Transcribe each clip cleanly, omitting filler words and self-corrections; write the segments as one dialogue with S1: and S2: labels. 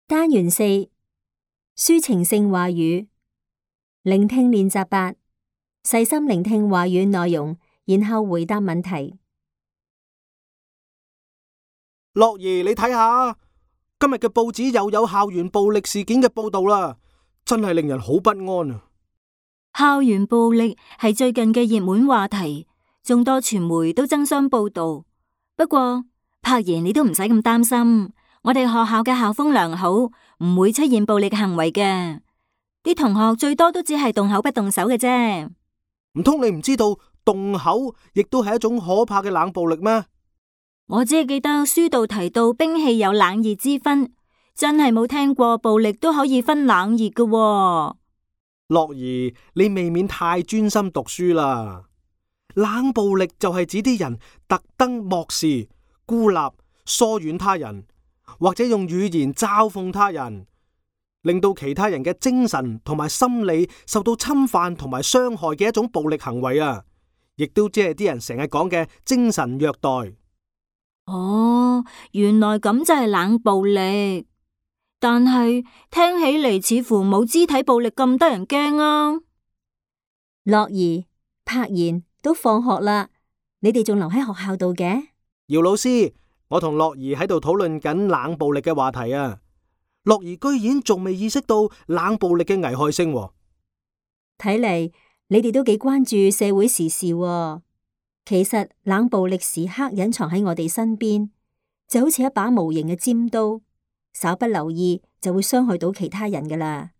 S1: 單元4，抒情性話語，聆聽練習8，細心聆聽話語內容，然後回答問題。
S2: 樂兒，你睇下，今日嘅報紙又有校園暴力事件嘅報道啦，真係令人好不安啊！
S3: 校園暴力係最近嘅熱門話題，眾多傳媒都爭相報道。不過，柏妍你都唔使咁擔心。我哋學校嘅校風良好，唔會出現暴力行為嘅。啲同學最多都只係動口不動手嘅啫。
S2: 唔通你唔知道動口亦都係一種可怕嘅冷暴力咩？
S3: 我只係記得書度提到兵器有冷熱之分，真係冇聽過暴力都可以分冷熱嘅喎。
S2: 樂兒，你未免太專心讀書啦。冷暴力就係指啲人特登漠視、孤立、疏遠他人，或者用語言嘲諷他人，令到其他人嘅精神同埋心理受到侵犯同埋傷害嘅一種暴力行為啊！亦都即係啲人成日講嘅精神虐待。
S3: 哦，原來咁就係冷暴力，但係聽起嚟似乎冇肢體暴力咁得人驚啊！
S1: 樂兒、柏妍都放學啦，你哋仲留喺學校度嘅？
S2: 姚老師，我同樂兒喺度討論緊冷暴力嘅話題啊！樂兒居然仲未意識到冷暴力嘅危害性喎。
S1: 睇嚟你哋都幾關注社會時事喎。其實冷暴力時刻隱藏喺我哋身邊，就好似一把無形嘅尖刀，稍不留意就會傷害到其他人噶啦。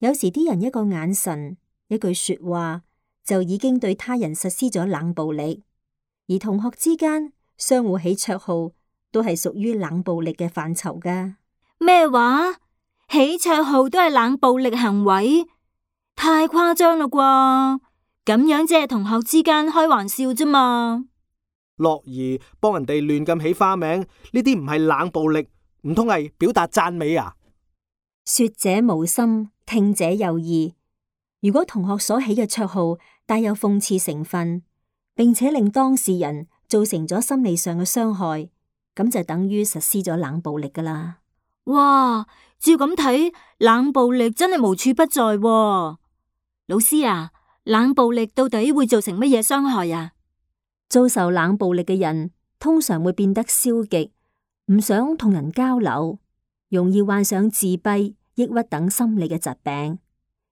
S1: 有時啲人一個眼神、一句說話，就已經對他人實施咗冷暴力。而同學之間相互起綽號，都係屬於冷暴力嘅範疇噶。
S3: 咩話？起綽號都係冷暴力行為？太誇張啦啩！咁樣只係同學之間開玩笑啫嘛。
S2: 樂兒幫人哋亂咁起花名，呢啲唔係冷暴力，唔通係表達讚美啊？
S1: 說者無心，聽者有意。如果同學所起嘅綽號帶有諷刺成分，並且令當事人造成咗心理上嘅傷害，咁就等於實施咗冷暴力噶啦。
S3: 哇，照咁睇，冷暴力真係無處不在喎。老師啊，冷暴力到底會造成乜嘢傷害啊？
S1: 遭受冷暴力嘅人通常會變得消極，唔想同人交流，容易患上自閉、抑鬱等心理嘅疾病。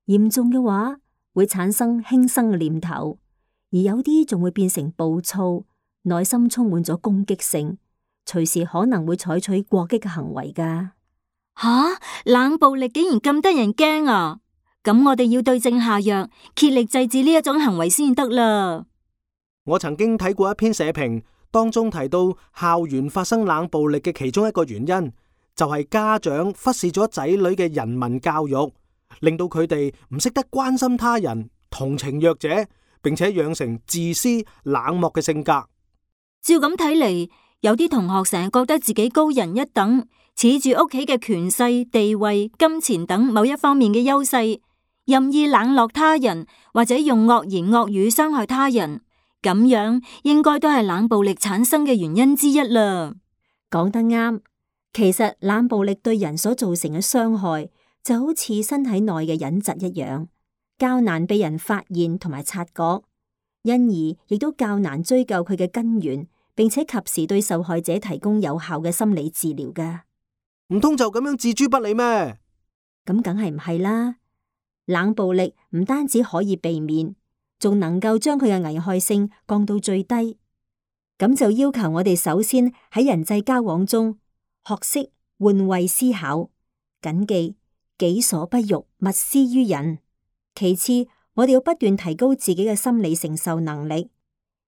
S1: 嚴重嘅話會產生輕生嘅念頭，而有啲仲會變成暴躁，內心充滿咗攻擊性，隨時可能會採取過激嘅行為噶。
S3: 吓，冷暴力竟然咁得人驚啊！咁我哋要對症下藥，竭力制止呢一種行為先得啦。
S2: 我曾經睇過一篇社評，當中提到校園發生冷暴力嘅其中一個原因，就係家長忽視咗仔女嘅人文教育，令到佢哋唔識得關心他人、同情弱者，並且養成自私冷漠嘅性格。
S3: 照咁睇嚟，有啲同學成日覺得自己高人一等，恃住屋企嘅權勢、地位、金錢等某一方面嘅優勢，任意冷落他人，或者用惡言惡語傷害他人，咁樣應該都係冷暴力產生嘅原因之一啦。
S1: 講得啱，其實冷暴力對人所造成嘅傷害，就好似身體內嘅隱疾一樣，較難被人發現同埋察覺，因而亦都較難追究佢嘅根源，並且及時對受害者提供有效嘅心理治療噶。
S2: 唔通就咁樣置諸不理咩？
S1: 咁梗係唔係啦。冷暴力唔單止可以避免，仲能夠將佢嘅危害性降到最低。咁就要求我哋首先喺人際交往中學識換位思考，謹記己所不欲，勿施於人。其次，我哋要不斷提高自己嘅心理承受能力。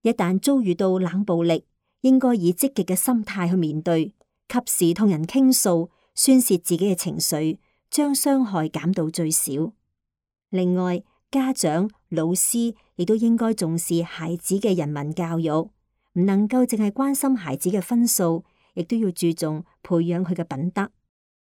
S1: 一旦遭遇到冷暴力，應該以積極嘅心態去面對，及時同人傾訴，宣洩自己嘅情緒，將傷害減到最少。另外，家長、老師亦都應該重視孩子嘅人文教育，唔能夠淨係關心孩子嘅分數，亦都要注重培養佢嘅品德。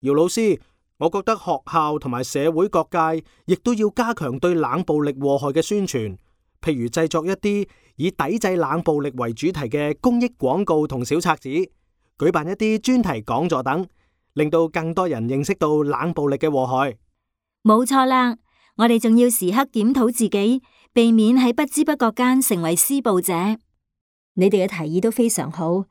S2: 姚老師，我覺得學校同埋社會各界亦都要加強對冷暴力禍害嘅宣傳，譬如製作一啲以抵制冷暴力為主題嘅公益廣告同小冊子，舉辦一啲專題講座等，令到更多人認識到冷暴力嘅禍害。
S3: 冇錯啦，我哋仲要時刻檢討自己，避免喺不知不覺間成為施暴者。
S1: 你哋嘅提議都非常好，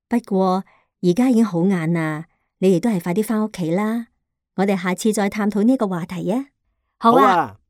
S1: 不過而家已經好晏啦，你哋都係快啲返屋企啦。我哋下次再探討呢個話題啊。
S3: 好啊。